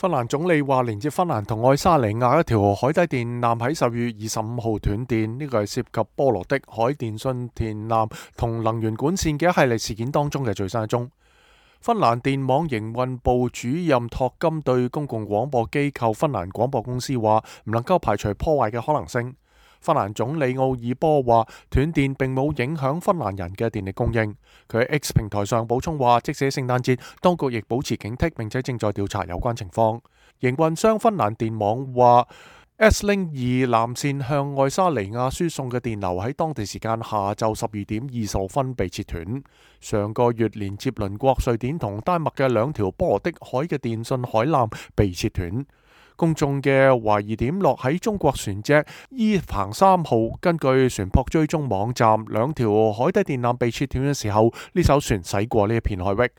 芬蘭總理話，連接芬蘭同愛沙尼亞一條海底電纜喺10月25號斷電，呢個係涉及波羅的海電信電纜同能源管線嘅一系列事件當中嘅最新一宗。芬蘭電網營運部主任托金對公共廣播機構芬蘭廣播公司話，唔能夠排除破壞嘅可能性。芬蘭總理奧爾波話，斷電並冇影響芬蘭人嘅電力供應。佢喺 X 平台上補充話，即使聖誕節，當局亦保持警惕，並且正在調查有關情況。營運商芬蘭電網話，S-Link 2纜線向愛沙尼亞輸送嘅電流喺當地時間下晝12點20分被切斷。上個月連接鄰國瑞典同丹麥嘅兩條波羅的海嘅電信海纜被切斷。公眾嘅懷疑點落喺中國船隻伊彭3號。根據船舶追蹤網站，兩條海底電纜被切斷嘅時候，呢艘船駛過呢一片海域。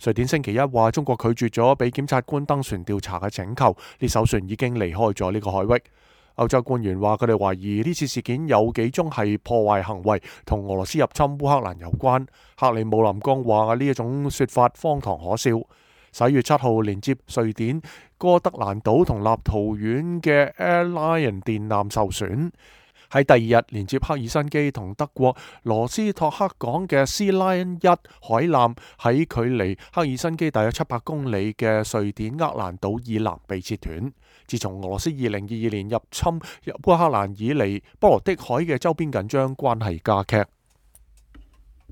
瑞典星期一話，中國拒絕咗俾檢察官登船調查嘅請求，呢艘船已經離開咗呢個海域。歐洲官員話，佢哋懷疑呢次事件有幾宗係破壞行為，同俄羅斯入侵烏克蘭有關。克里姆林宮話呢一種說法荒唐可笑。11月7號，連接瑞典哥德蘭島同立陶宛嘅 Air Lion 電纜受損。喺第二日，連接赫爾辛基同德國羅斯托克港嘅 Sea Lion 1海纜喺距離赫爾辛基大約700公里嘅瑞典厄蘭島以南被切斷。自從俄羅斯2022年入侵烏克蘭以嚟，波羅的海嘅周邊緊張關係加劇。